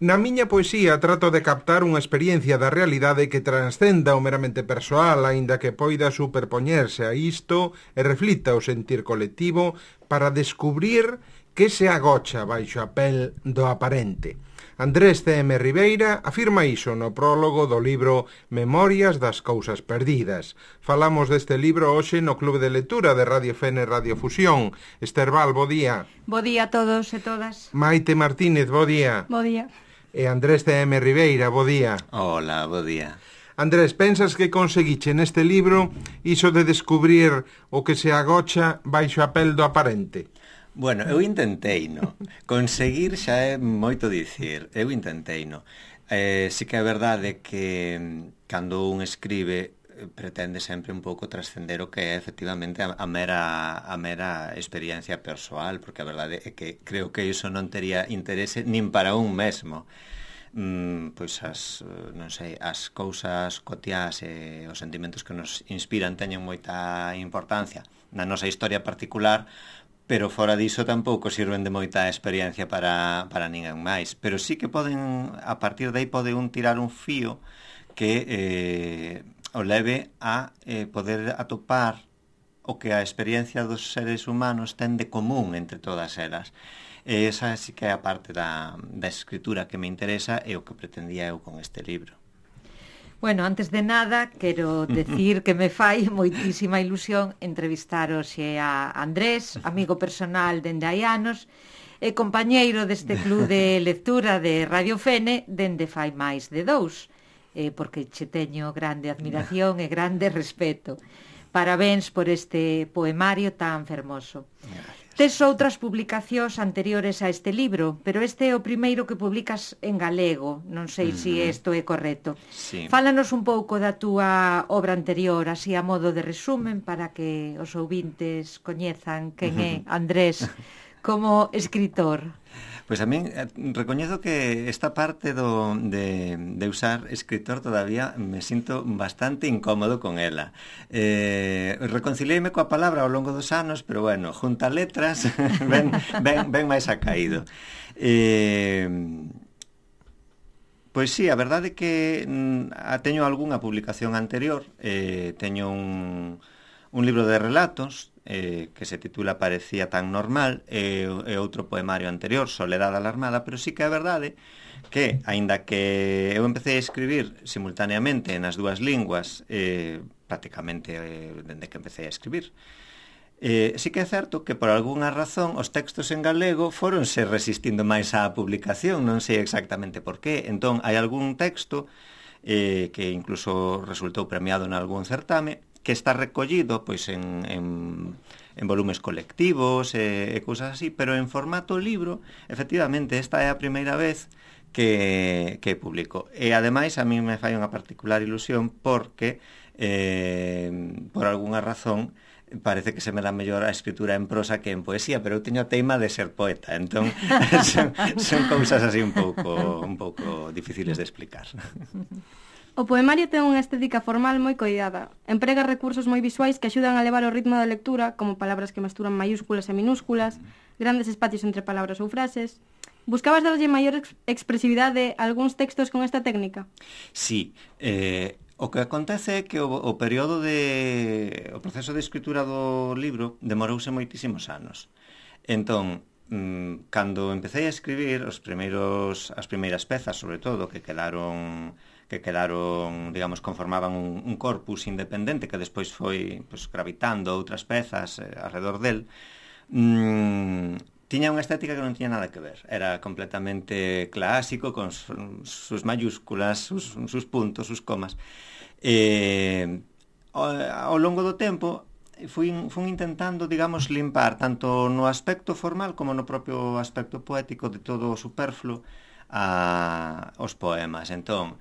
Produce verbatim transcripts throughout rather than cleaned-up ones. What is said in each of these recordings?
Na miña poesía trato de captar unha experiencia da realidade que transcenda o meramente persoal, aínda que poida superpoñerse a isto e reflita o sentir colectivo para descubrir que se agocha baixo a pel do aparente. Andrés C M Ribeira afirma iso no prólogo do libro Memorias das cousas perdidas. Falamos deste libro hoxe no Club de Lectura de Radio Fene Radio Fusión. Esterbal, bo día. Bo día a todos e todas. Maite Martínez, bo día. Bo día. E Andrés C M Ribeira, bo día. Hola, bo día. Andrés, pensas que conseguiche neste libro iso de descubrir o que se agocha baixo a pel do aparente? Bueno, eu intentei, no? Conseguir xa é moito dicir. Eu intentei, no? Eh, si que é verdade que cando un escribe pretende sempre un pouco trascender o que é efectivamente a, a mera a mera experiencia persoal, porque a verdade é que creo que iso non tería interese nin para un mesmo. Mm, pois as, non sei, as cousas cotiás e os sentimentos que nos inspiran teñen moita importancia na nosa historia particular, pero fora diso tampouco sirven de moita experiencia para, para ninguén máis. Pero sí que poden, a partir de aí pode un tirar un fío que eh, o leve a eh, poder atopar o que a experiencia dos seres humanos ten de común entre todas elas. E esa sí que é a parte da, da escritura que me interesa e o que pretendía eu con este libro. Bueno, antes de nada, quero decir que me fai moitísima ilusión entrevistar hoxe a Andrés, amigo personal dende hai anos, e compañeiro deste club de lectura de Radio Fene dende fai máis de dous, eh, porque che teño grande admiración e grande respeto. Parabéns por este poemario tan fermoso. Gracias. Tes outras publicacións anteriores a este libro, pero este é o primeiro que publicas en galego. Non sei mm-hmm. se isto é correcto. Sí. Fálanos un pouco da túa obra anterior, así a modo de resumen, para que os ouvintes coñezan quen é Andrés como escritor. Pois a min eh, recoñezo que esta parte do, de, de usar escritor todavía me sinto bastante incómodo con ela. Eh, reconciliéime coa palabra ao longo dos anos, pero bueno, junta letras, ben, ben, ben máis acaído. Eh, pois sí, a verdade é que mm, teño algunha publicación anterior, eh, teño un, un libro de relatos, Eh, que se titula Parecía tan normal, e, e outro poemario anterior, Soledad alarmada, pero sí que é verdade que, aínda que eu empecé a escribir simultaneamente nas dúas linguas, eh, prácticamente eh, dende que empecé a escribir, eh, sí que é certo que por algunha razón os textos en galego foronse resistindo máis á publicación, non sei exactamente por qué. Entón, hai algún texto eh, que incluso resultou premiado en algún certame, que está recollido pois en, en, en volumes colectivos e, e cousas así, pero en formato libro, efectivamente, esta é a primeira vez que, que publico. E, ademais, a mí me fai unha particular ilusión porque, eh, por algunha razón, parece que se me dá mellor a escritura en prosa que en poesía, pero eu teño a teima de ser poeta, entón son, son cousas así un pouco, un pouco difíciles de explicar. O poemario ten unha estética formal moi coidada. Emprega recursos moi visuais que axudan a levar o ritmo da lectura, como palabras que mesturan maiúsculas e minúsculas, grandes espacios entre palabras ou frases. Buscabas darlle maior ex expresividade a algúns textos con esta técnica? Sí, eh, o que acontece é que o, o período de... o proceso de escritura do libro demorouse moitísimos anos. Entón, mmm, cando empecé a escribir os primeiros, as primeiras pezas, sobre todo, que quedaron... que quedaron, digamos, conformaban un, un corpus independente que despois foi pues, gravitando outras pezas eh, alrededor del, mm, tiña unha estética que non tiña nada que ver. Era completamente clásico, con sus mayúsculas, sus, sus puntos, sus comas. Eh, ao, ao longo do tempo, fui, fui intentando, digamos, limpar tanto no aspecto formal como no propio aspecto poético de todo o superfluo a, os poemas. Entón,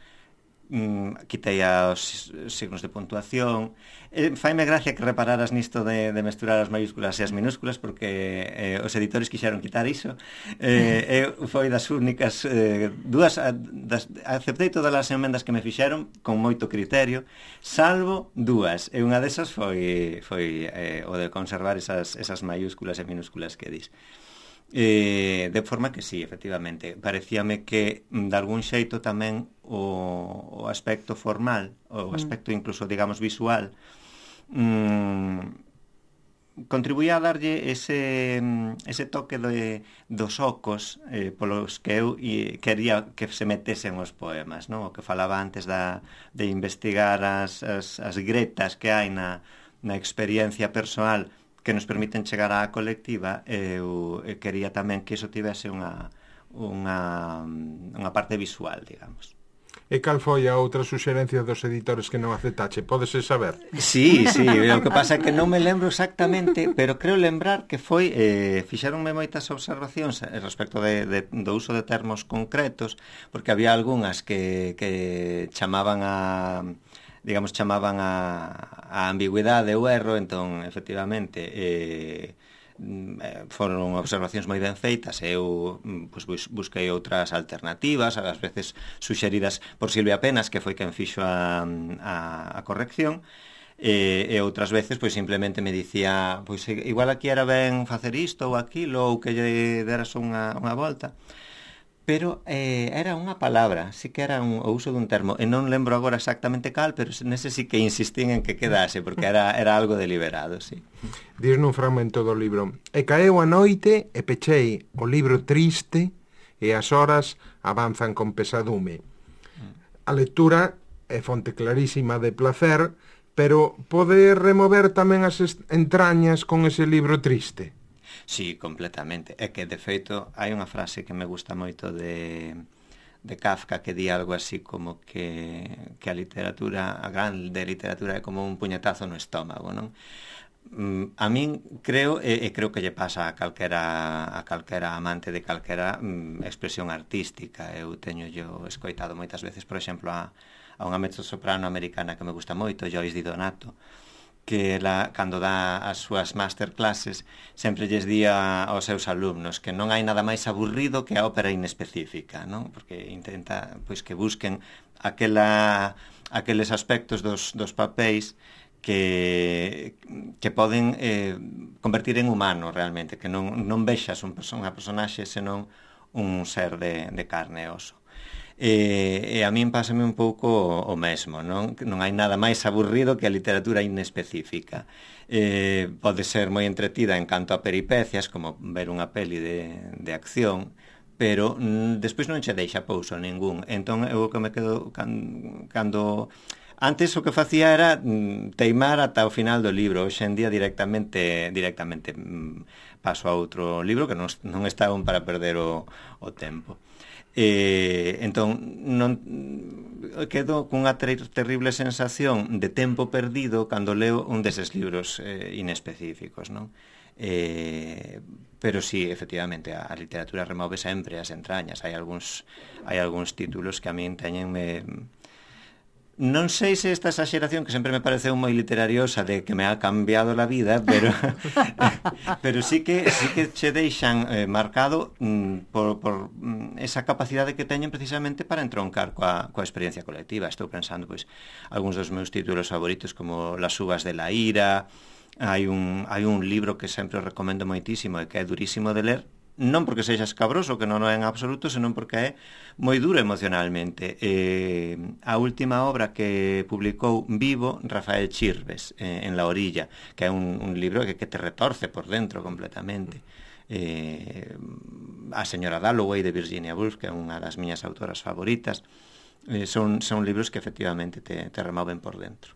mm, quitei os signos de puntuación. Eh, faime gracia que repararas nisto de, de mesturar as maiúsculas e as minúsculas, porque eh, os editores quixeron quitar iso. Eh, eu foi das únicas eh, dúas, das, aceptei todas as emendas que me fixeron con moito criterio, salvo dúas, e unha desas foi, foi eh, o de conservar esas, esas maiúsculas e minúsculas que dis. Eh, de forma que sí, efectivamente, parecíame que de algún xeito tamén o, o aspecto formal, o aspecto incluso, digamos, visual, mmm, contribuía a darlle ese, ese toque de, dos ocos eh, polos que eu e, quería que se metesen os poemas, non? O que falaba antes da, de investigar as, as, as gretas que hai na, na experiencia persoal que nos permiten chegar á colectiva. Eu, eu quería tamén que iso tivese unha, unha, unha parte visual, digamos. E cal foi a outra suxerencia dos editores que non aceptache? Pódese saber? Sí, sí, o que pasa é que non me lembro exactamente, pero creo lembrar que foi, eh, fixeronme moitas observacións respecto de, de, do uso de termos concretos, porque había algunhas que, que chamaban a, digamos, chamaban a, a ambigüidade ou erro, entón, efectivamente, eh, foron observacións moi ben feitas e eu pues, busquei outras alternativas, ás veces suxeridas por Silvia Penas, que foi quen fixo a, a, a corrección, e, e outras veces pois simplemente me dicía, pois igual aquí era ben facer isto ou aquilo, ou que lle deras unha, unha volta. Pero eh, era unha palabra, sí que era un, o uso dun termo, e non lembro agora exactamente cal, pero nese sí que insistín en que quedase, porque era, era algo deliberado, sí. Dis nun fragmento do libro: e caeu a noite e pechei o libro triste e as horas avanzan con pesadume. A lectura é fonte clarísima de placer, pero pode remover tamén as entrañas con ese libro triste? Sí, completamente. É que, de feito, hai unha frase que me gusta moito de, de Kafka que di algo así como que, que a literatura, a grande literatura é como un puñetazo no estómago, non? Mm, a min creo, e, e creo que lle pasa a calquera, a calquera amante de calquera mm, expresión artística. Eu teño yo escoitado moitas veces, por exemplo, a, a unha mezzosoprano americana que me gusta moito, Joyce Di Donato, que ela, cando dá as súas masterclasses, sempre lles di aos seus alumnos que non hai nada máis aburrido que a ópera inespecífica, non? Porque intenta pois que busquen aquela, aqueles aspectos dos, dos papéis que, que poden eh, convertir en humano realmente, que non, non vexas un, unha personaxe senón un ser de, de carne e oso. E, e a min pásame un pouco o, o mesmo, non? Non hai nada máis aburrido que a literatura inespecífica. Eh, pode ser moi entretida en canto a peripecias, como ver unha peli de, de acción, pero mm, despois non che deixa pouso ningún. Entón, eu que me quedo can, cando... Antes o que facía era mm, teimar ata o final do libro. Hoxe en día directamente directamente mm, paso a outro libro que non, non está un para perder o, o tempo. Eh, entón non quedo cunha ter terrible sensación de tempo perdido cando leo un deses libros eh, inespecíficos, non? Eh, pero sí, efectivamente, a, a literatura remove sempre as entrañas. Hai algúns hai algúns títulos que a min teñenme... Non sei se esta exageración, que sempre me pareceu moi literariosa, de que me ha cambiado la vida, pero pero sí que sí que che deixan eh, marcado mm, por, por mm, esa capacidade que teñen precisamente para entroncar coa, coa experiencia colectiva. Estou pensando, pois, algúns dos meus títulos favoritos, como Las uvas de la ira. Hai un, hai un libro que sempre recomendo moitísimo e que é durísimo de ler, non porque sexa escabroso, que non é en absoluto, senón porque é moi duro emocionalmente. Eh, a última obra que publicou vivo Rafael Chirves, eh, en La orilla, que é un, un libro que, que te retorce por dentro completamente. Eh, a señora Dalloway de Virginia Woolf, que é unha das miñas autoras favoritas. Eh, son, son libros que efectivamente te, te removen por dentro.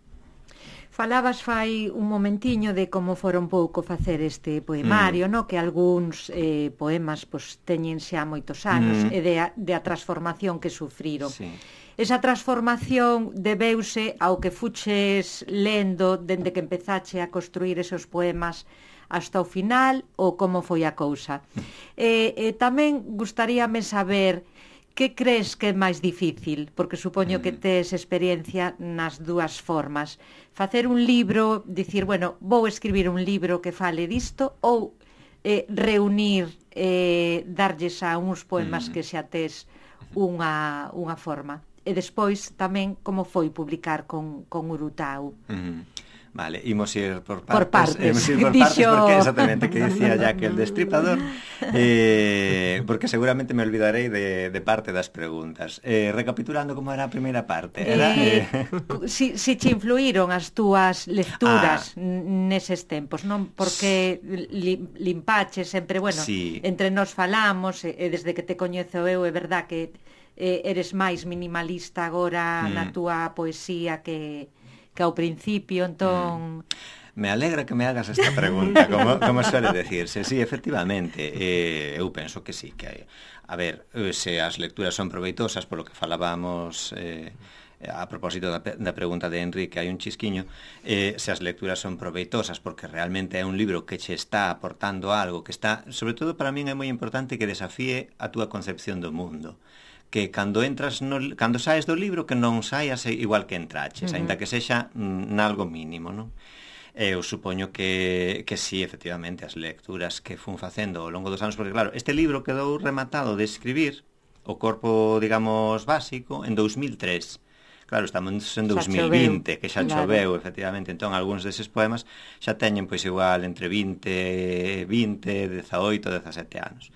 Falabas fai un momentiño de como fora un pouco facer este poemario, mm. no? Que algúns eh, poemas pues, teñen xa moitos anos mm. e de a, de a transformación que sufriron. Sí. Esa transformación debeuse ao que fuches lendo dende que empezache a construir esos poemas hasta o final, ou como foi a cousa? E, e tamén gustaríame saber... Que crees que é máis difícil? Porque supoño que tes experiencia nas dúas formas. Facer un libro, dicir, bueno, vou escribir un libro que fale disto, ou eh, reunir, eh, darlles a uns poemas que xa tes unha, unha forma. E despois tamén como foi publicar con, con Urutau. Mm. Vale, imos ir por partes, por partes. Imos ir por partes, porque exactamente que dicía ya que el Destripador, eh, porque seguramente me olvidarei de, de parte das preguntas. Eh, recapitulando como era a primeira parte. Era, eh, eh... si, si che influíron as túas lecturas ah. neses tempos, non? Porque li, limpache sempre, bueno, sí. entre nós falamos, e, e desde que te coñezo eu, é verdad que eh, eres máis minimalista agora mm. na túa poesía que, que ao principio, entón... Mm. Me alegra que me hagas esta pregunta, como, como suele decirse. Sí, efectivamente, eh, eu penso que sí, que hai... A ver, se as lecturas son proveitosas, polo que falábamos eh, a propósito da, da pregunta de Enrique, hai un chisquiño, eh, se as lecturas son proveitosas porque realmente é un libro que che está aportando algo, que está, sobre todo para min é moi importante que desafíe a túa concepción do mundo, que cando entras no, cando saes do libro que non saias igual que entraches, uh-huh. aínda que sexa nalgo mínimo, non? Eu supoño que, que sí, efectivamente, as lecturas que fun facendo ao longo dos anos, porque claro, este libro quedou rematado de escribir, o corpo, digamos, básico, en dous mil tres. Claro, estamos en dous mil vinte, que xa claro. Choveu, efectivamente, entón algúns deses poemas xa teñen, pois, igual, entre vinte, vinte, dezaoito, dezasete anos.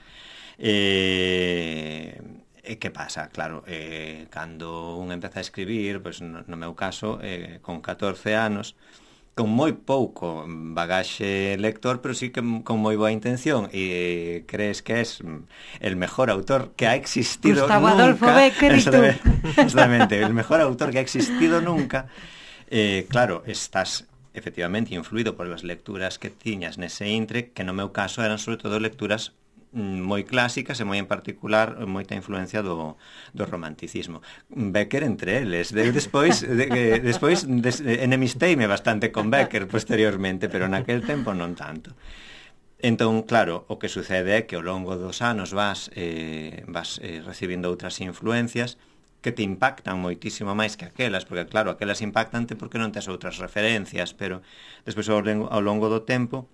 E... E que pasa? Claro, eh, cando un empeza a escribir, pois, no, no meu caso, eh, con catorce anos, con moi pouco bagaxe lector, pero sí que con moi boa intención, e crees que es el mejor autor que ha existido Gustavo nunca. Adolfo Bécquer y tú. Exactamente, el mejor autor que ha existido nunca. Eh, claro, estás efectivamente influído por las lecturas que tiñas nese intre, que no meu caso eran sobre todo lecturas moi clásicas e moi en particular moita influencia do, do romanticismo. Bécquer entre eles. De, despois de, de, despois des, enemisteime bastante con Bécquer posteriormente, pero naquel tempo non tanto. Entón, claro, o que sucede é que ao longo dos anos vas, eh, vas eh, recibindo outras influencias que te impactan moitísimo máis que aquelas, porque claro, aquelas impactante porque non tes outras referencias, pero despois ao, ao longo do tempo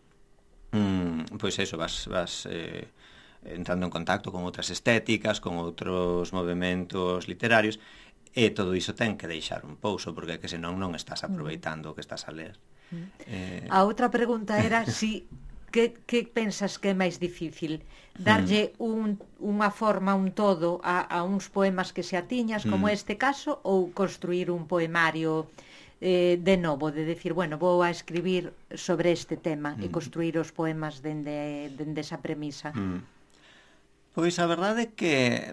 mm, pois eso, vas, vas eh, entrando en contacto con outras estéticas, con outros movementos literarios, e todo iso ten que deixar un pouso, porque que senón non estás aproveitando o que estás a ler. Mm. Eh... A outra pregunta era si que, que pensas que é máis difícil? Darlle un, unha forma, un todo a, a uns poemas que se atiñas, como mm. este caso, ou construir un poemario eh, de novo, de decir, bueno, vou a escribir sobre este tema mm. e construir os poemas dende, dende esa premisa? Mm. Pois a verdade é que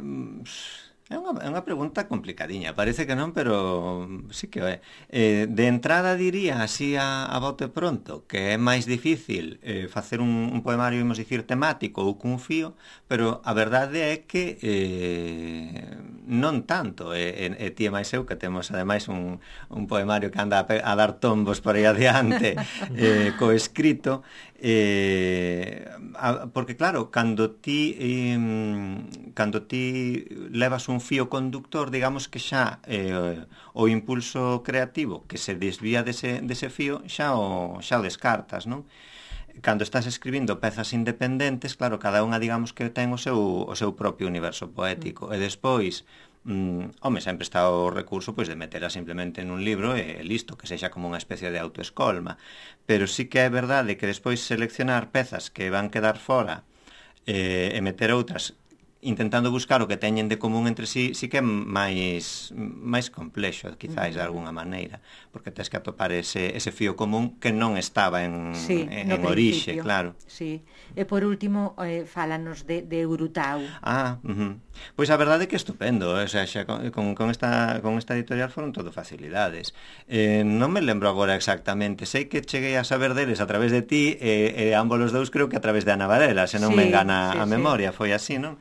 é unha, é unha pregunta complicadiña, parece que non, pero sí que é. Eh, de entrada diría, así a, a bote pronto, que é máis difícil eh, facer un, un poemario, imos dicir, temático ou cun fío, pero a verdade é que eh, non tanto, e, e, e ti e máis eu, que temos ademais un, un poemario que anda a, a dar tombos por aí adiante, eh, co escrito, eh, a, porque claro, cando ti eh, cando ti levas un fío conductor, digamos que xa eh, o impulso creativo que se desvía dese, dese fío xa o, xa o descartas, non? Cando estás escribindo pezas independentes, claro, cada unha digamos que ten o seu, o seu propio universo poético, mm. e despois Mm, home, sempre está o recurso pois de metela simplemente nun libro e listo, que sexa como unha especie de autoescolma, pero sí que é verdade que despois seleccionar pezas que van quedar fora eh, e meter outras intentando buscar o que teñen de común entre sí, sí que é máis máis complexo, quizáis, de alguna maneira, porque tens que atopar ese, ese fío común que non estaba en, sí, en, en orixe, claro. Sí. E por último, eh, fálanos de, de Urutau. Ah, uh-huh. Pois a verdade é que é estupendo, o sea, xa con, con, esta, con esta editorial foron todo facilidades. Eh, non me lembro agora exactamente, sei que cheguei a saber deles a través de ti, e eh, eh, ambos os dous creo que a través de Ana Varela, se non sí, me engana sí, a memoria, sí. Foi así, non?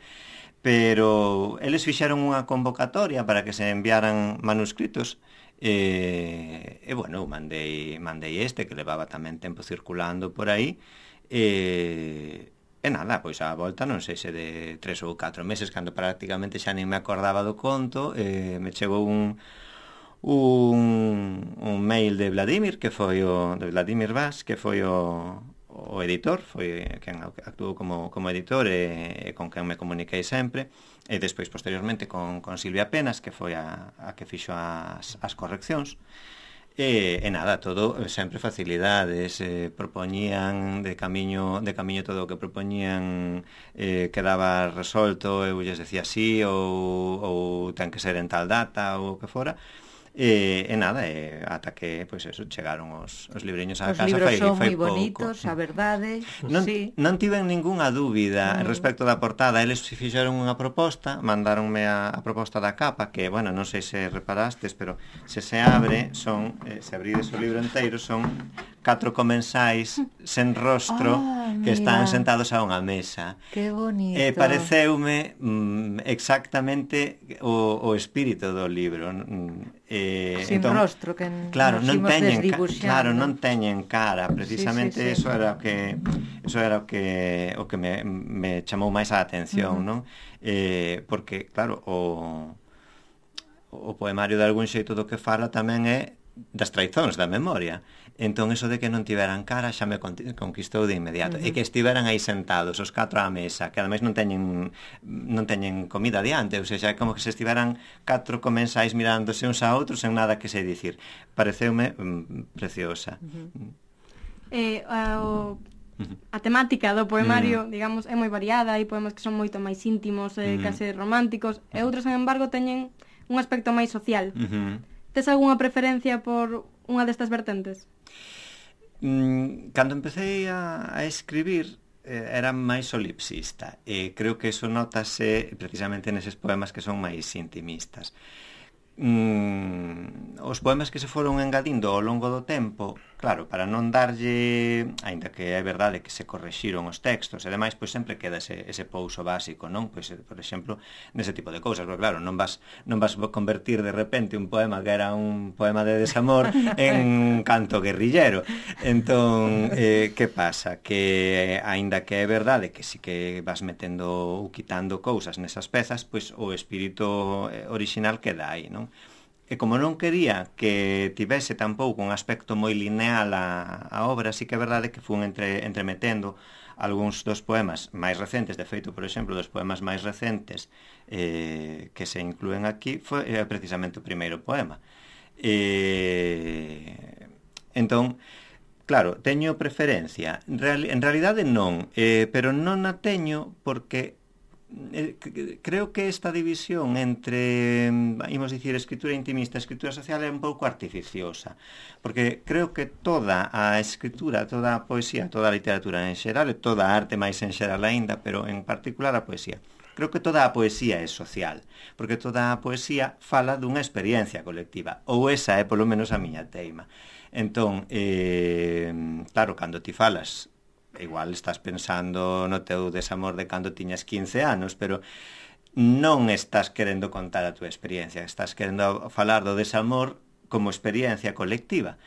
Pero eles fixeron unha convocatoria para que se enviaran manuscritos e, e bueno, mandei, mandei este que levaba tamén tempo circulando por aí e, e nada, pois a volta non sei se de tres ou catro meses, cando prácticamente xa nin me acordaba do conto, e me chegou un un, un mail de Vladimir, que foi o de Vladimir Vaz, que foi o o editor, foi quen actuou como, como editor e, e con quen me comuniquei sempre, e despois posteriormente con, con Silvia Penas, que foi a, a que fixo as, as correccións, E, e nada, todo sempre facilidades, eh, propoñían de camiño de camiño todo o que propoñían eh, quedaba resolto, eu lles decía sí ou, ou ten que ser en tal data ou o que fora. E, e nada, e ata que, pois eso, chegaron os, os libriños á os casa. Os libros fai, son fai moi bonitos, a verdade. Non, sí. non tiven ningunha dúbida Mm. respecto da portada. Eles fixeron unha proposta, mandaronme a, a proposta da capa, que, bueno, non sei se reparastes, pero se se abre, son, eh, se abrides o libro inteiro, son catro comensais sen rostro Ah, que están mira. sentados a unha mesa. Que bonito. E pareceume mm, exactamente o, o espírito do libro. Mm, eh, Sin entón, rostro, que claro, nos non imos teñen, ca- desdibuxando. claro, non teñen cara, precisamente Sí, sí, sí. eso era o que eso era o que o que me, me chamou máis a atención, Uh-huh. non? Eh, porque claro, o o poemario de algún xeito do que fala tamén é das traizóns da memoria. Entón, eso de que non tiveran cara xa me conquistou de inmediato. Uh-huh. E que estiveran aí sentados, os catro á mesa, que ademais non teñen non teñen comida diante, ou seja, é como que se estiveran catro comensais mirándose uns a outros sen nada que se dicir. Pareceume mm, preciosa. Uh-huh. Eh, a, o, a temática do poemario, Mm. digamos, é moi variada, hai poemas que son moito máis íntimos, eh, Mm. case románticos, e outros, sen embargo, teñen un aspecto máis social. Uh-huh. Tes algunha preferencia por unha destas vertentes? Mm, cando empecé a, a escribir eh, era máis solipsista e creo que eso notase precisamente neses poemas que son máis intimistas. Mm, os poemas que se foron engadindo ao longo do tempo, claro, para non darlle, aínda que é verdade que se correxiron os textos, e demais, pois sempre queda ese, ese pouso básico, non? Pois, por exemplo, nese tipo de cousas, porque claro, non vas, non vas convertir de repente un poema que era un poema de desamor en canto guerrillero. Entón, eh, que pasa? Que aínda que é verdade que si que vas metendo ou quitando cousas nesas pezas, pois o espírito orixinal queda aí, non? E como non quería que tivese tampouco un aspecto moi lineal a, a obra, sí que é verdade que fun entre, entremetendo algúns dos poemas máis recentes. De feito, por exemplo, dos poemas máis recentes eh, que se inclúen aquí foi eh, precisamente o primeiro poema. Eh, entón, claro, teño preferencia. Real, en realidade non, eh, pero non a teño porque Eh, creo que esta división entre, imos dicir, escritura intimista e escritura social é un pouco artificiosa, porque creo que toda a escritura, toda a poesía, toda a literatura en xeral, e toda a arte máis en xeral aínda, pero en particular a poesía, creo que toda a poesía é social, porque toda a poesía fala dunha experiencia colectiva, ou esa é polo menos a miña teima. Entón, eh, claro, cando ti falas, igual estás pensando no teu desamor de cando tiñas quince anos, pero non estás querendo contar a túa experiencia, estás querendo falar do desamor como experiencia colectiva.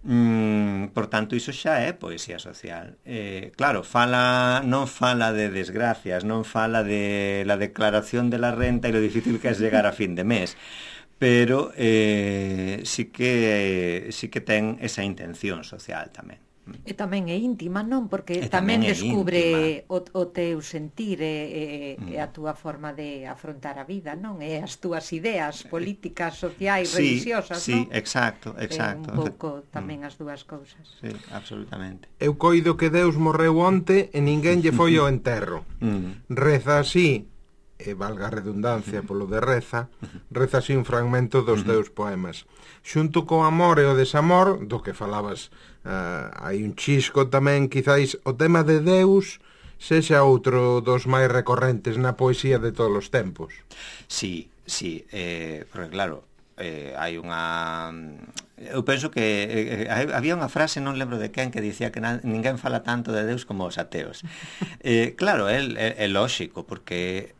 Mm, por tanto, iso xa é poesía social. Eh, claro, fala, non fala de desgracias, non fala de la declaración de la renta e lo difícil que é llegar a fin de mes, pero eh, sí que sí que ten esa intención social tamén. E tamén é íntima, non? Porque E tamén, tamén é descubre o, o teu sentir e, e, Mm. e a túa forma de afrontar a vida, non? E as túas ideas políticas, sociais, Sí, religiosas, sí, non? exacto, exacto. É un pouco tamén as dúas cousas. Sí, absolutamente. Eu coido que Deus morreu onte e ninguén lle foi ao enterro. Mm. Reza así, e valga a redundancia polo de reza, reza así un fragmento dos teus poemas. Xunto co amor e o desamor, do que falabas, uh, hai un chisco tamén, quizáis o tema de Deus sexa outro dos máis recorrentes na poesía de todos os tempos. Sí, sí, eh, porque claro, eh, hai unha... Eu penso que eh, había unha frase, non lembro de quen, que dicía que na, ninguén fala tanto de Deus como os ateos. Eh, claro, é, é, é lóxico, porque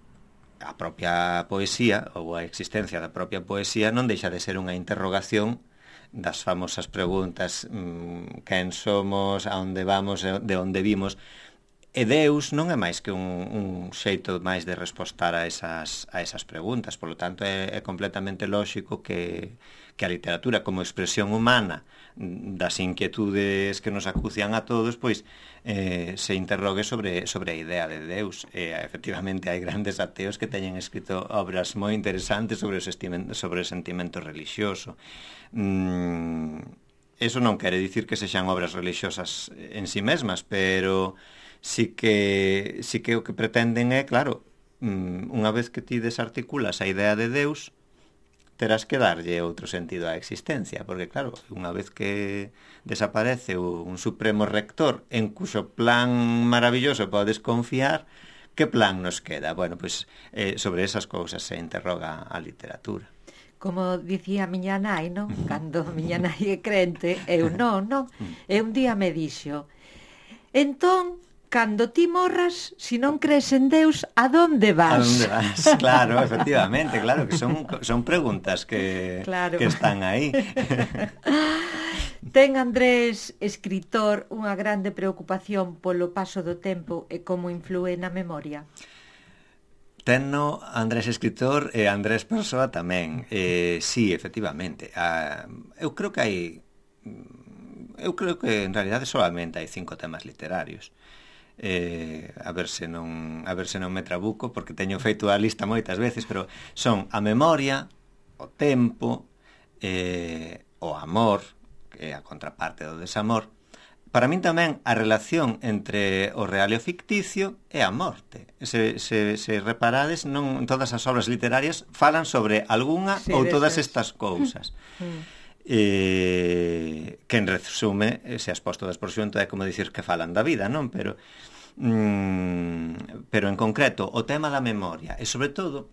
a propia poesía, ou a existencia da propia poesía, non deixa de ser unha interrogación das famosas preguntas, mmm, quen somos, a onde vamos, de onde vimos. E Deus non é máis que un, un xeito máis de respostar a esas, a esas preguntas. Por lo tanto, é, é completamente lóxico que, que a literatura como expresión humana das inquietudes que nos acucian a todos, pois eh, se interrogue sobre, sobre a idea de Deus. E, efectivamente, hai grandes ateos que teñen escrito obras moi interesantes sobre o, sobre o sentimento religioso. Mm, eso non quere dicir que sexan obras religiosas en si mesmas, pero sí que, sí que o que pretenden é, claro, unha vez que ti desarticulas a idea de Deus, terás que darlle outro sentido á existencia, porque, claro, unha vez que desaparece un supremo rector en cuxo plan maravilloso podes confiar, que plan nos queda? Bueno, pois eh, sobre esas cousas se interroga a literatura. Como dicía a miña nai, non? Cando a miña nai é crente, eu non, non? E un día me dixo, entón, cando ti morras, se non crees en Deus, a donde vas? A donde vas, claro, efectivamente, claro, que son, son preguntas que, claro. que están aí. Ten Andrés, escritor, unha grande preocupación polo paso do tempo e como inflúe na memoria? Tenno Andrés escritor e Andrés persoa tamén. Eh, sí, efectivamente. Ah, eu creo que hai... Eu creo que en realidade solamente hai cinco temas literarios. Eh, a ver se non a ver se non me trabuco, porque teño feito a lista moitas veces, pero son a memoria, o tempo, eh, o amor, que é a contraparte do desamor. Para min tamén a relación entre o real e o ficticio é a morte. Se, se, se reparades, non todas as obras literarias falan sobre algunha sí, ou todas es. estas cousas. eh, que en resume, se as posto das por xunto, é como dicir que falan da vida, non? Pero mm, pero en concreto o tema da memoria, e sobre todo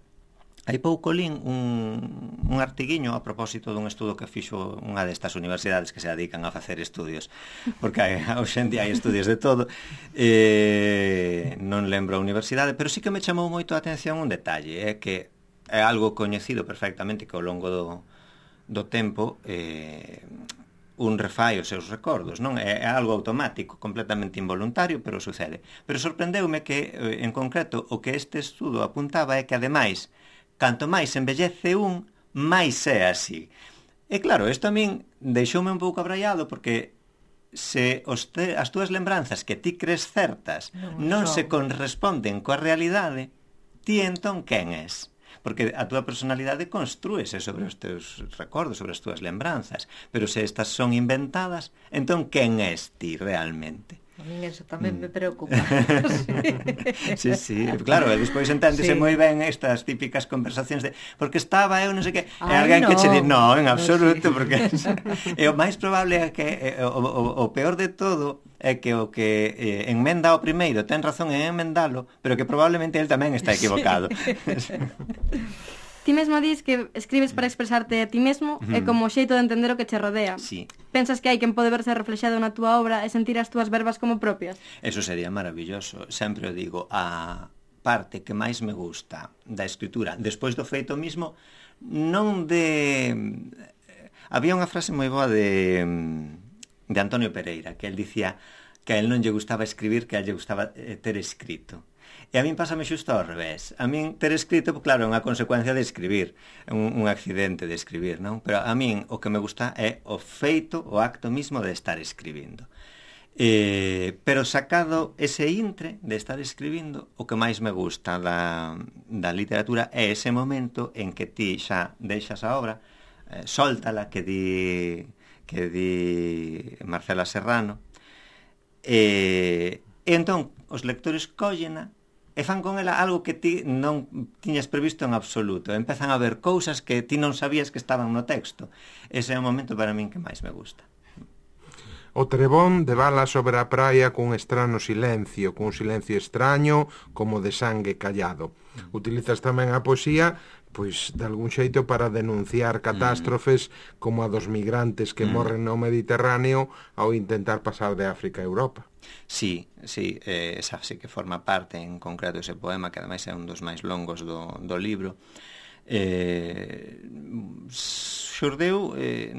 hai pouco lín un, un artiguiño a propósito dun estudo que fixo unha destas universidades que se dedican a facer estudios, porque hai, hoxe en día hai estudios de todo, eh, non lembro a universidade, pero sí que me chamou moito a atención un detalle, é que é algo coñecido perfectamente que ao longo do do tempo eh, un refai os seus recordos, non? É, é algo automático, completamente involuntario, pero sucede. Pero sorprendeume que, eh, en concreto, o que este estudo apuntaba é que, ademais, canto máis envellece un, máis é así. E claro, isto a min deixoume un pouco abraiado, porque se os te, as túas lembranzas que ti crees certas non, non se corresponden coa realidade, ti entón quen és? Porque a túa personalidade construese sobre os teus recordos, sobre as túas lembranzas, pero se estas son inventadas, entón quen és ti realmente? A min eso tamén mm. me preocupa. Sí, sí, claro, e despois enténdese sí. moi ben estas típicas conversacións de porque estaba eu non sei que, e alguén no. que che di, no, en absoluto, no, sí. porque e o máis probable é que e, o, o, o peor de todo é que o que eh, enmenda o primeiro ten razón en enmendalo, pero que probablemente el tamén está equivocado. Sí. Ti mesmo dis que escribes para expresarte a ti mesmo mm. e como xeito de entender o que che rodea. Sí. Pensas que hai quen pode verse reflexado na túa obra e sentir as túas verbas como propias? Eso sería maravilloso. Sempre o digo, a parte que máis me gusta da escritura, despois do feito mismo, non de... Había unha frase moi boa de, de Antonio Pereira, que el dicía que a él non lle gustaba escribir, que a él lle gustaba ter escrito. E a min pásame xusto ao revés. A min ter escrito, claro, é unha consecuencia de escribir, un, un accidente de escribir, non? Pero a min o que me gusta é o feito, o acto mismo de estar escribindo. Eh, pero sacado ese intre de estar escribindo, o que máis me gusta da, da literatura é ese momento en que ti xa deixas a obra, eh, soltala, que di, que di Marcela Serrano, e, e entón os lectores cóllena e fan con ela algo que ti non tiñas previsto en absoluto. Empezan a ver cousas que ti non sabías que estaban no texto. Ese é o momento para min que máis me gusta. O trebón debala sobre a praia cun estrano silencio, cun silencio extraño como de sangue callado. Utilizas tamén a poesía pois de algún xeito para denunciar catástrofes mm. como a dos migrantes que mm. morren no Mediterráneo ao intentar pasar de África a Europa. Sí, sí, eh, esa sí que forma parte en concreto ese poema, que ademais é un dos máis longos do, do libro. Eh, xurdeu, eh,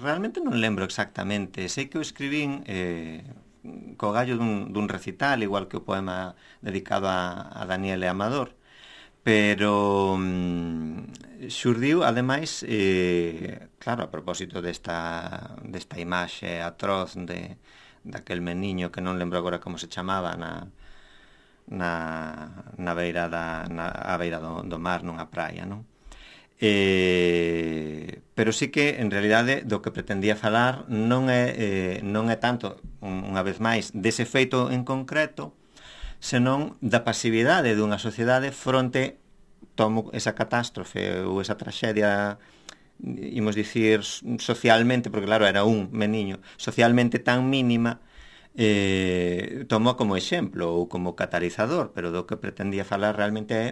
realmente non lembro exactamente, sei que o escribín eh, co gallo dun, dun recital, igual que o poema dedicado a, a Daniele Amador, pero mm, xurdiu, ademais, eh, claro, a propósito desta, desta imaxe atroz de, daquel meniño que non lembro agora como se chamaba na, na, na beira da, na, a beira do, do mar, nunha praia, non? Eh, pero sí que, en realidade, do que pretendía falar non é, eh, non é tanto, unha vez máis, dese feito en concreto, senón da pasividade dunha sociedade fronte tomo esa catástrofe ou esa traxedia, imos dicir socialmente, porque claro, era un meniño, socialmente tan mínima, eh, tomo como exemplo ou como catalizador, pero do que pretendía falar realmente é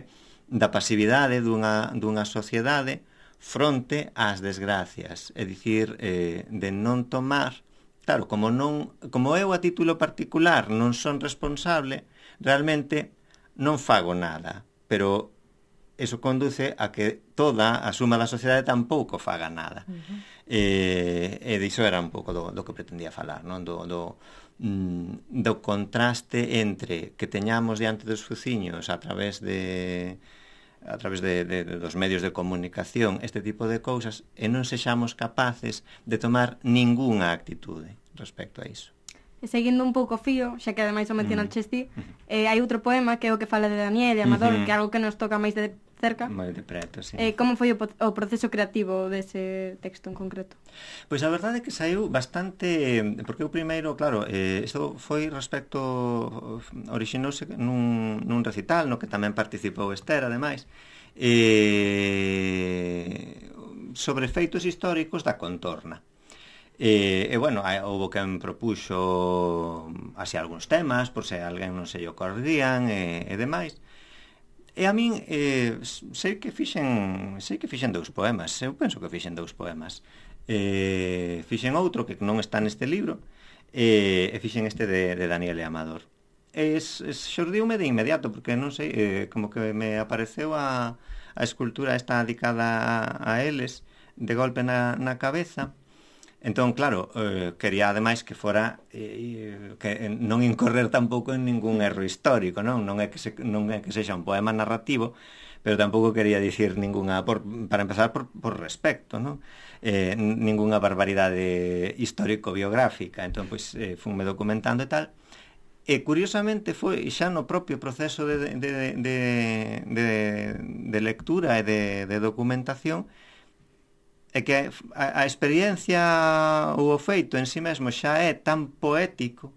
da pasividade dunha, dunha sociedade fronte ás desgracias, é dicir, eh, de non tomar, claro, como non, como eu a título particular non son responsable, realmente non fago nada, pero eso conduce a que toda a suma da sociedade tampouco faga nada. Uh-huh. Eh, e diso era un pouco do, do que pretendía falar, non? Do, do, mm, do contraste entre que teñamos diante dos fuciños a través de a través de, de, de dos medios de comunicación este tipo de cousas e non sexamos capaces de tomar ningunha actitude respecto a iso. E seguindo un pouco o fío, xa que ademais o mencionan mm. Chesti, eh, hai outro poema que é o que fala de Daniel e Amador, mm-hmm. que é algo que nos toca máis de cerca. Moi de preto, sí. Eh, como foi o, o proceso creativo dese texto en concreto? Pois a verdade é que saiu bastante, porque o primeiro, claro, eh, isto foi respecto, orixinouse nun, nun recital, no que tamén participou Esther, ademais, eh, sobre feitos históricos da contorna. E, e bueno, houve quen propuxo así algúns temas, por se alguén non se lle ocorrían e, e demais. E a min eh, sei que fixen sei que fixen dous poemas, eu penso que fixen dous poemas. Eh, fixen outro que non está neste libro e, e fixen este de, de Daniele Amador. E xordiume de inmediato, porque non sei, eh, como que me apareceu a, a escultura esta dedicada a, a eles de golpe na, na cabeza. Entón, claro, eh, quería ademais que fora eh, que non incorrer tampouco en ningún erro histórico, non? Non é que se, non é que sexa un poema narrativo, pero tampouco quería dicir ninguna, por, para empezar, por, por respecto, non? Eh, ninguna barbaridade histórico-biográfica. Entón, pois, eh, funme documentando e tal. E, curiosamente, foi xa no propio proceso de, de, de, de, de lectura e de, de documentación é que a, a experiencia ou o feito en sí mesmo xa é tan poético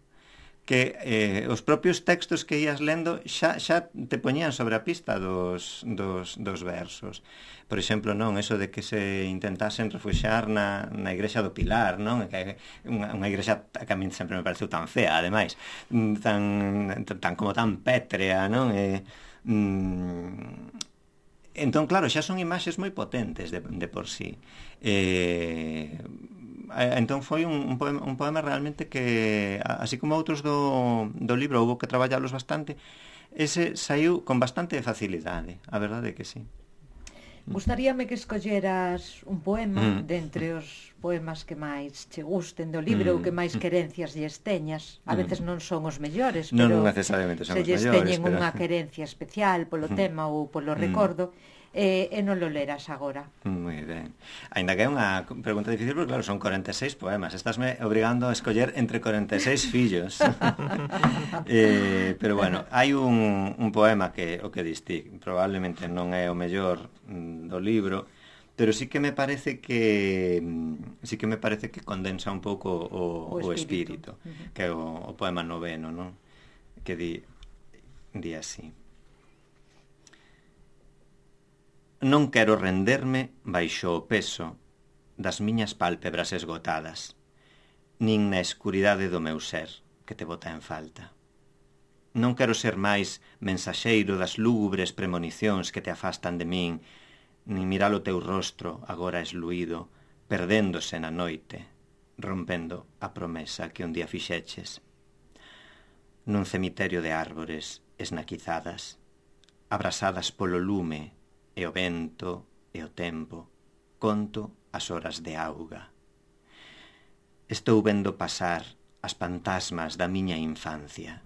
que eh, os propios textos que ías lendo xa, xa te poñían sobre a pista dos, dos, dos versos. Por exemplo, non, eso de que se intentasen refuxar na, na igrexa do Pilar, non? Que unha, unha igrexa que a min sempre me pareceu tan fea, ademais, tan, tan como tan pétrea, non? E, mm, entón, claro, xa son imaxes moi potentes de, de por sí. Eh, entón foi un, un, poema, un poema realmente que, así como outros do, do libro, houve que traballalos bastante, ese saiu con bastante facilidade, a verdade é que sí. Gustaríame que escolleras un poema mm. de entre os poemas que máis che gusten do libro mm. ou que máis querencias lles teñas. A veces non son os mellores, pero non necesariamente son se os lles mellores, teñen pero... unha querencia especial polo mm. tema ou polo recordo, e, e non lo leras agora. Moi ben. Ainda que é unha pregunta difícil, porque claro, son cuarenta e seis poemas. Estásme obrigando a escoller entre cuarenta e seis fillos. eh, pero bueno, hai un, un poema que o que distí, probablemente non é o mellor mm, do libro, pero sí que me parece que sí que me parece que condensa un pouco o, o espírito, o espírito uh-huh. que é o, o poema noveno, non? Que di, di así: non quero renderme baixo o peso das miñas pálpebras esgotadas, nin na escuridade do meu ser que te bota en falta. Non quero ser máis mensaxeiro das lúgubres premonicións que te afastan de min, nin mirar o teu rostro agora esluído, perdéndose na noite, rompendo a promesa que un día fixeches. Nun cemiterio de árbores esnaquizadas, abrasadas polo lume e o vento e o tempo, conto as horas de auga. Estou vendo pasar as fantasmas da miña infancia.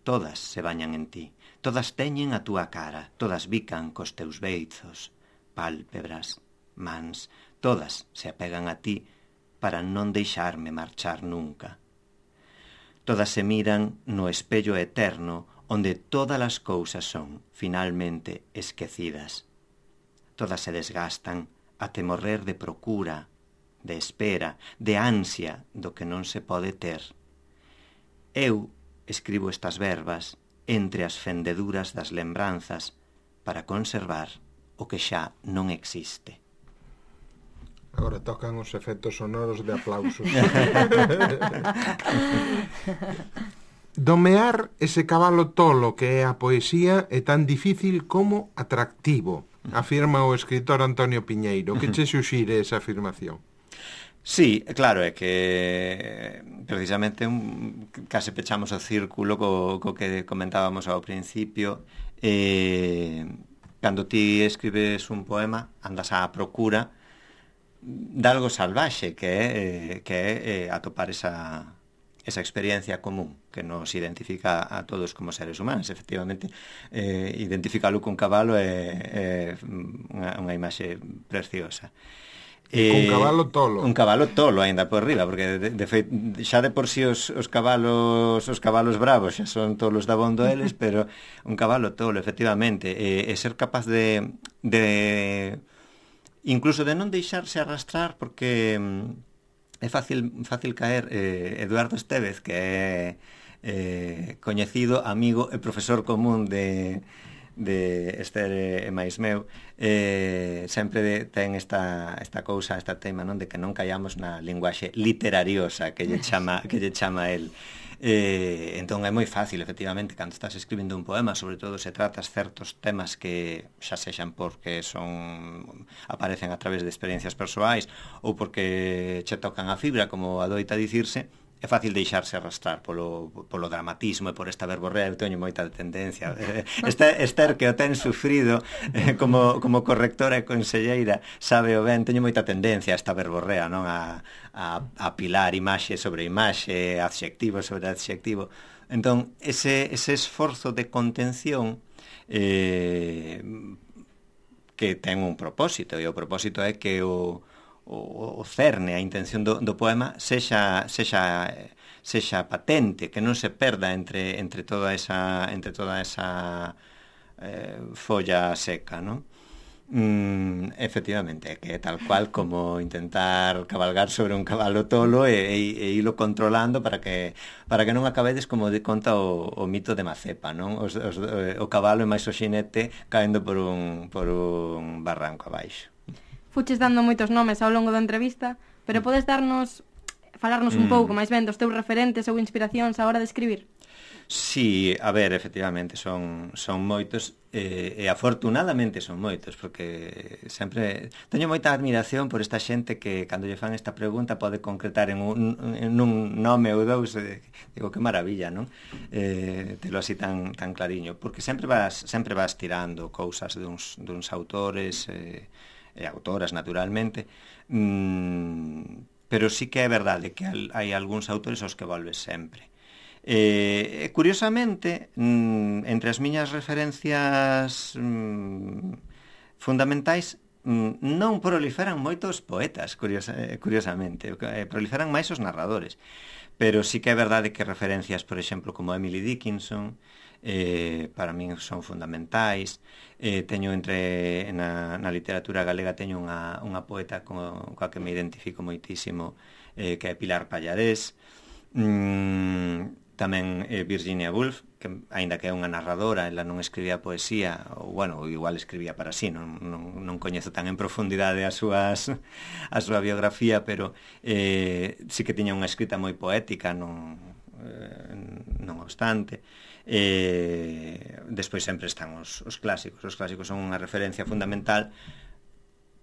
Todas se bañan en ti, todas teñen a túa cara, todas bican cos teus beizos, pálpebras, mans, todas se apegan a ti para non deixarme marchar nunca. Todas se miran no espello eterno onde todas as cousas son, finalmente, esquecidas. Todas se desgastan até morrer de procura, de espera, de ansia do que non se pode ter. Eu escribo estas verbas entre as fendeduras das lembranzas para conservar o que xa non existe. Agora tocan os efectos sonoros de aplausos. Domear ese cabalo tolo que é a poesía é tan difícil como atractivo, afirma o escritor Antonio Piñeiro. Que che suxire esa afirmación? Sí, claro, é que precisamente un, case pechamos o círculo co, co que comentábamos ao principio. Eh, cando ti escribes un poema, andas á procura de algo salvaxe, que é, que é eh, atopar esa, esa experiencia común que nos identifica a todos como seres humanos. Efectivamente, eh, identificalo cun cabalo é, é unha, unha imaxe preciosa. Eh, un cabalo tolo. Un cabalo tolo aínda por riba, porque de, de feito xa de por si os, os cabalos os cabalos bravos xa son tolos da bondo eles, pero un cabalo tolo, efectivamente, e, e ser capaz de, de incluso de non deixarse arrastrar, porque é fácil fácil caer. eh, Eduardo Estévez, que é eh, coñecido, amigo e profesor común de de Esther e máis meu, eh, sempre de, ten esta, esta cousa, esta tema, non, de que non callamos na linguaxe literariosa que lle chama, que lle chama el. Eh, entón é moi fácil, efectivamente, cando estás escribindo un poema, sobre todo se tratas certos temas que xa sexan porque son aparecen a través de experiencias persoais ou porque che tocan a fibra, como adoita dicirse, é fácil deixarse arrastrar polo, polo dramatismo e por esta verborrea. Eu teño moita tendencia. Esther, Esther, que o ten sufrido eh, como, como correctora e conselleira, sabe o ben, teño moita tendencia a esta verborrea, non? A, a, a pilar imaxe sobre imaxe, adxectivo sobre adxectivo. Entón, ese, ese esforzo de contención eh, que ten un propósito, e o propósito é que o o cerne, a intención do, do poema sexa, sexa, sexa patente, que non se perda entre, entre toda esa, entre toda esa eh, folla seca, non? Mm, efectivamente, que é tal cual como intentar cabalgar sobre un cabalo tolo e, e, e ilo controlando para que para que non acabedes como de conta o, o mito de Mazepa, non? Os, os, o cabalo e máis o xinete caendo por un, por un barranco abaixo. Fuches dando moitos nomes ao longo da entrevista, pero podes darnos, falarnos un mm. pouco máis ben dos teus referentes ou inspiracións á hora de escribir? Sí, a ver, efectivamente, son, son moitos, eh, e afortunadamente son moitos, porque sempre teño moita admiración por esta xente que, cando lle fan esta pregunta, pode concretar en un, en un nome ou dous. Eh, digo, que maravilla, non? Eh, telo así tan, tan clariño, porque sempre vas, sempre vas tirando cousas duns, duns autores, eh, e autoras, naturalmente, mm, pero sí que é verdade que hai algúns autores aos que volves sempre. E, eh, curiosamente, mm, entre as miñas referencias mm, fundamentais, mm, non proliferan moitos poetas, curiosa, curiosamente, eh, proliferan máis os narradores, pero sí que é verdade que referencias, por exemplo, como Emily Dickinson, eh, para min son fundamentais. Eh, teño entre na, na literatura galega teño unha, unha poeta co, coa que me identifico moitísimo, eh, que é Pilar Pallarés. mm, tamén eh, Virginia Woolf, que aínda que é unha narradora, ela non escribía poesía, ou bueno, igual escribía para sí, non, non, non coñezo tan en profundidade as súas a súa biografía, pero eh, sí que tiña unha escrita moi poética, non, eh, non obstante. Eh, despois sempre están os, os clásicos. Os clásicos son unha referencia fundamental,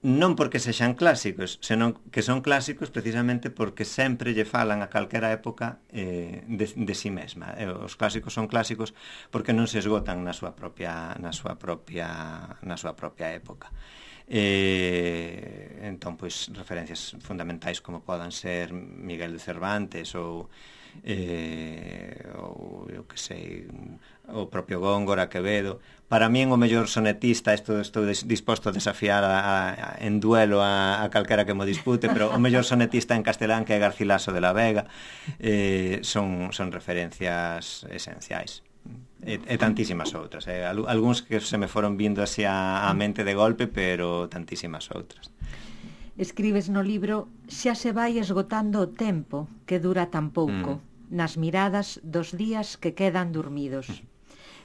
non porque sexan clásicos, senón que son clásicos precisamente porque sempre lle falan a calquera época eh, de, de si mesma. Eh, os clásicos son clásicos porque non se esgotan na súa propia na súa propia na súa propia época. Eh, entón, pois, referencias fundamentais como podan ser Miguel de Cervantes ou eh, ou, eu que sei, o propio Góngora, Quevedo. Para min o mellor sonetista, isto estou disposto a desafiar a, a, en duelo a, a calquera que mo dispute, pero o mellor sonetista en castelán, que é Garcilaso de la Vega, eh, son, son referencias esenciais. E, e tantísimas outras, eh? Algúns que se me foron vindo así a, a mente de golpe, pero tantísimas outras. Escribes no libro: xa se vai esgotando o tempo que dura tan pouco, mm. nas miradas dos días que quedan dormidos. Mm.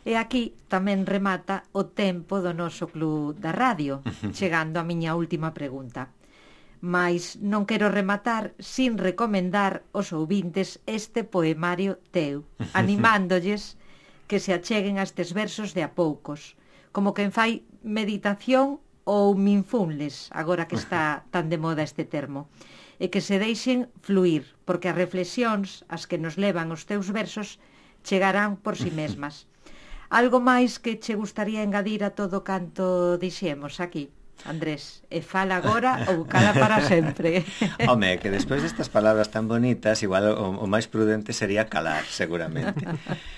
E aquí tamén remata o tempo do noso club da radio, chegando a miña última pregunta. Mais non quero rematar sin recomendar aos ouvintes este poemario teu, animándolles que se acheguen a estes versos de a poucos, como quen fai meditación ou mindfulness, agora que está tan de moda este termo, e que se deixen fluir, porque as reflexións as que nos levan os teus versos chegarán por si mesmas. Algo máis que che gustaría engadir a todo canto dixemos aquí, Andrés? E fala agora ou cala para sempre. Home, que despois destas palabras tan bonitas, igual o, o máis prudente sería calar, seguramente.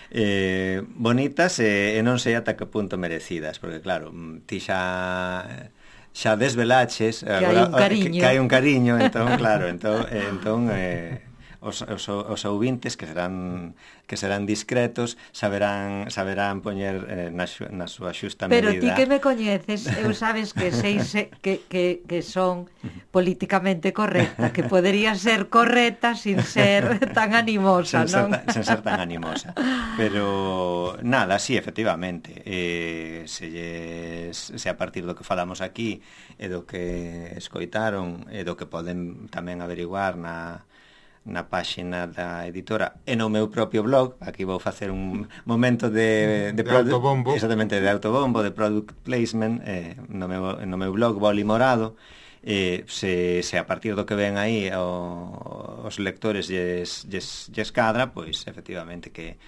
Eh, bonitas e, e non sei ata que punto merecidas, porque claro, ti xa xa desvelaches que hai un cariño, que, que hai un cariño, entón claro, entón, entón eh, os, os, os ouvintes que serán que serán discretos saberán saberán poñer eh, na, na súa xusta pero medida. Pero ti que me coñeces, eu sabes que sei se, que, que, que son políticamente correcta, que podería ser correcta sin ser tan animosa, sen non? Ser tan, sen ser tan animosa. Pero nada, sí, efectivamente, eh, se, lles, se a partir do que falamos aquí e do que escoitaron e do que poden tamén averiguar na na páxina da editora e no meu propio blog, aquí vou facer un momento de, de de, de autobombo, exactamente, de autobombo, de product placement, eh, no, meu, no meu blog Boli Morado, eh, se, se a partir do que ven aí o, os lectores lles, lles, lles cadra, pois efectivamente que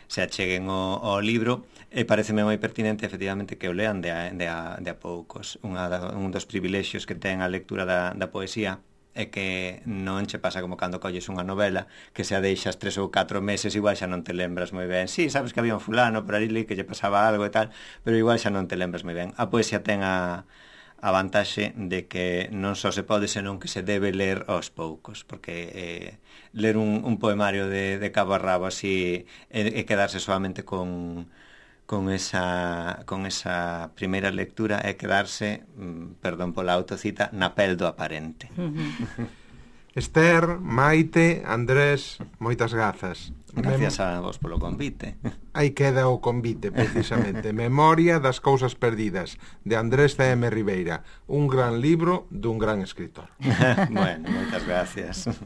se acheguen o, o libro, e pareceme moi pertinente efectivamente que o lean de a, de a, de a poucos. Unha da, un dos privilexios que ten a lectura da, da poesía é que non che pasa como cando colles unha novela que se a deixas tres ou catro meses, igual xa non te lembras moi ben. Sí, sabes que había un fulano por aí que lle pasaba algo e tal, pero igual xa non te lembras moi ben. A poesía ten a, a vantaxe de que non só se pode, senón que se debe ler aos poucos, porque eh, ler un, un poemario de, de cabo a rabo así e, e quedarse solamente con... con esa con esa primeira lectura é quedarse, mm, perdón pola autocita, na pel do aparente. Uh-huh. Esther, Maite, Andrés, moitas grazas. Gracias Mem... a vos polo convite. Aí queda o convite, precisamente. Memoria das cousas perdidas, de Andrés C M Ribeira. Un gran libro dun gran escritor. Bueno, moitas gracias.